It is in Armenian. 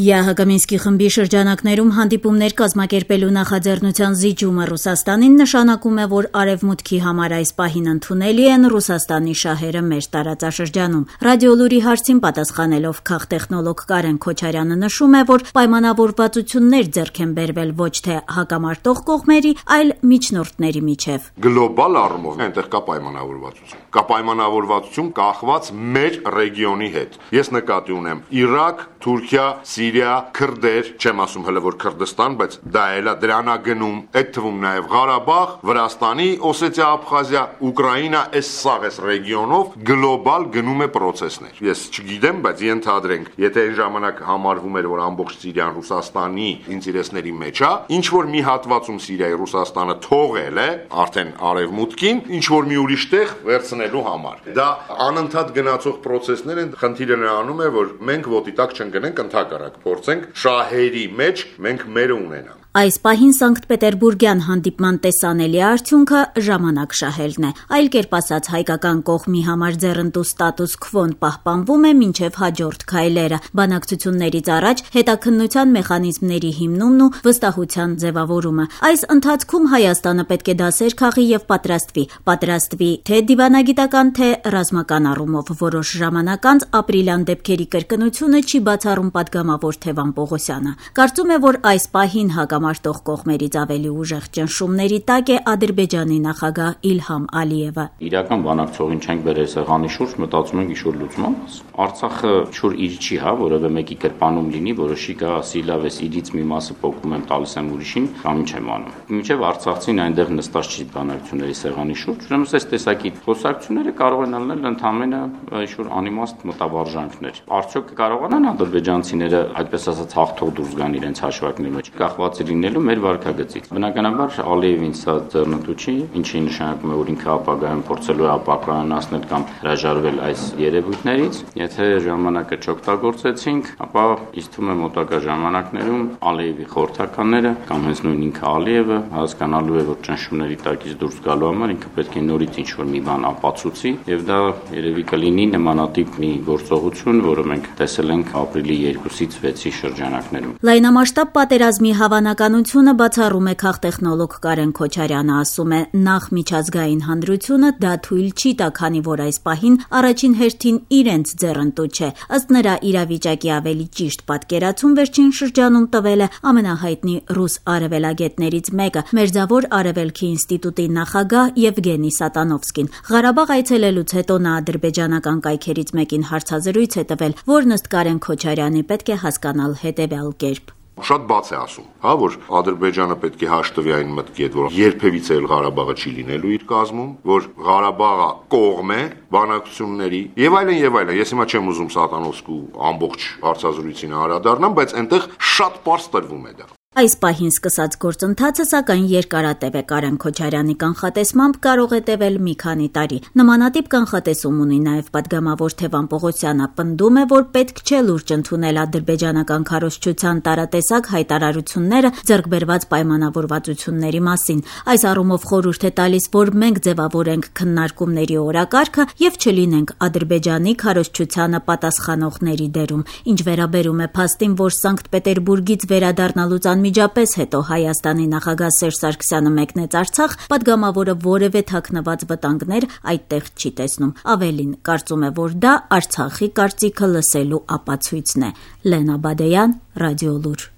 ԵԱՀԿ խմբի շրջանակներում հանդիպումներ կազմակերպելու նախաձեռնության զիջումը Ռուսաստանին նշանակում է, որ Արևմուտքի համար այս պահին ընդունելի են Ռուսաստանի շահերը մեր տարածաշրջանում։ Ռադիոլուրի հարցին պատասխանելով քաղտեխնոլոգ Կարեն Քոչարյանը նշում է, որ պայմանավորվածություններ ձեռք են բերվել ոչ թե հակամարտող կողմերի, այլ միջնորդների միջև։ Գլոբալ առումով այնտեղ կա պայմանավորվածություն։ Կա պայմանավորվածություն կախված մեր ռեգիոնի հետ։ Ես նկատի ունեմ Իրաք, Թուրքիա, Սիրիա, քրդեր, չեմ ասում հələ որ Քրդստան, բայց դա էլա դրանա գնում, այդ թվում նաև Ղարաբաղ, Վրաստանի, Օսետիա, Աբխազիա, Ուկրաինա, այս սաղ այս ռեգիոնով գլոբալ գնում է process-ներ։ Ես չգիտեմ, բայց ենթադրենք, եթե այն ժամանակ համարվում էր, որ ամբողջ Սիրիան Ռուսաստանի ինտերեսների մեջ է, ինչ որ մի հատվածում Սիրիայի Ռուսաստանը թողել է արդեն արևմուտքին, ինչ որ մի ուրիշ տեղ վերցնելու համար։ Դա անընդհատ գնացող process-ներ են, խնդիրը նրանում է, որ մենք ոտի տակ չընկնենք, ընդհակառակ փորձենք շահերի մեջ մենք մերը ունենանք։ Այս պահին Սանկտ Պետերբուրգյան հանդիպման տեսանելի արդյունքը ժամանակ շահելն է։ Այլ կերպ ասած, հայկական կողմի համար ձեռնտու ստատուս քվոն պահպանվում է մինչև հաջորդ քայլերը։ Բանակցություններից առաջ հետաքննության մեխանիզմների հիմնումն ու վստահության ձևավորումը։ Այս ընթացքում Հայաստանը պետք է դասեր քաղի եւ պատրաստվի թե դիվանագիտական, թե ռազմական առումով։ Որոշ ժամանակ անց ապրիլյան դեպքերի կրկնությունը չի բացառում պատգամավոր Թևան Պողոսյանը։ Կարծում է, որ այս պահին հակամարտող կողմերից ավելի ուժեղ ճնշումների տակ է Ադրբեջանի նախագահ Իլհամ Ալիևը։ Իրական բանակցողին չենք բերել սեղանի շուրջ, մտածում ենք ինչ-որ լուծման մաս։ Արցախը չոր իր չի, որևէ մեկի կերպանում լինի, որոշի գա ասի լավ էս իրից մի մասը փոկում եմ, տալիս եմ ուրիշին, կամ ինչ եմ անում։ Մինչև արցախցին այնտեղ նստած չի բանակցությունների սեղանի շուրջ, ուրեմն այս տեսակի խոսակցությունները կարող են լինել ընդհանրապես ինչ-որ անիմաստ մտավարժանքներ։ Արդյոք կարողանան ադրբեջանցիները այդպես ասած հաղթող դուրս գան իրենց հաշվարկների մեջ, կախված լինելու մեր վարկագծից։ Բնականաբար Ալիևին սա ձեռնտու չի, ինչի նշանակում է, որ ինքը ապագայում փորձելու է ապակրանացնել կամ հրաժարվել այս երևույթներից։ Եթե ժամանակը չօգտագործեցինք, ապա ինձ թվում է մոտակա ժամանակներում Ալիևի խորհրդականները կամ հենց նույն ինքը Ալիևը հասկանալու է, որ ճնշումների տակից դուրս գալու համար ինքը պետք է նորից ինչ-որ մի բան ապացուցի, եւ դա երևի կլինի նմանատիպ մի գործողություն, որը մենք տեսել ենք ապրիլի 2-ից 6-ի շրջանակներում։ Լայնամասշտաբ պատերազմի հավանականությունը բացառում է քաղտեխնոլոգ Կարեն Քոչարյանը, ասում է, նախ միջազգային հանրությունը դա թույլ չի տա, քանի որ այս պահին առաջին հերթին իրենց ձեռնտու չէ։ Ըստ նրա, իրավիճակի ավելի ճիշտ պատկերացում վերջին շրջանում տվել է ամենահայտնի ռուս արևելագետներից մեկը, Մերձավոր Արևելքի ինստիտուտի նախագահ Եվգենի Սատանովսկին։ Ղարաբաղ այցելելուց հետո նա ադրբեջանական կայքերից մեկին հարցազրույց է տվել, որն ըստ Կարեն Քոչարյանի պետք է հասկանալ հետևյալ կերպ։ Շատ բաց է ասում, որ Ադրբեջանը պետք է հաշտվի այն մտքի հետ, որ երբևիցե էլ Ղարաբաղը չի լինելու իր կազմում, որ Ղարաբաղը կողմ է բանակցությունների եւ այլն եւ այլն։ Ես հիմա չեմ ուզում Սատանովսկու ամբողջ հարցազրույցին անդրադառնամ, բայց այնտեղ շատ պարզ տրվում է դա։ Այս պահին սկսած գործընթացը սակայն երկարատև է։ Կարեն Քոչարյանի կանխատեսմամբ կարող է տևել մի քանի տարի։ Նմանատիպ կանխատեսում ունի նաև պատգամավոր Թևան Պողոսյանը, պնդում է, որ պետք չէ լուրջ ընդունել ադրբեջանական քարոզչության տարատեսակ հայտարարությունները ձեռքբերված պայմանավորվածությունների մասին։ Այս առումով խորհուրդ է տալիս, որ մենք ձևավորենք քննարկումների օրակարգը եւ չլինենք Ադրբեջանի քարոզչությանը պատասխանողների դերում։ Ինչ վերաբերում է փաստին, որ Սանկտ Պետերբուրգից վերադառնալուց անմիջապես հետո Հայաստանի նախագահ Սերժ Սարգսյանը մեկնեց Արցախ, պատգամավորը որևէ թաքնված վտանգներ այդտեղ չի տեսնում։ Ավելին, կարծում է, որ դա Արցախի կարծիքը լսելու ապացույցն է։ Լենա Բադեյան, Ռադիոլուր։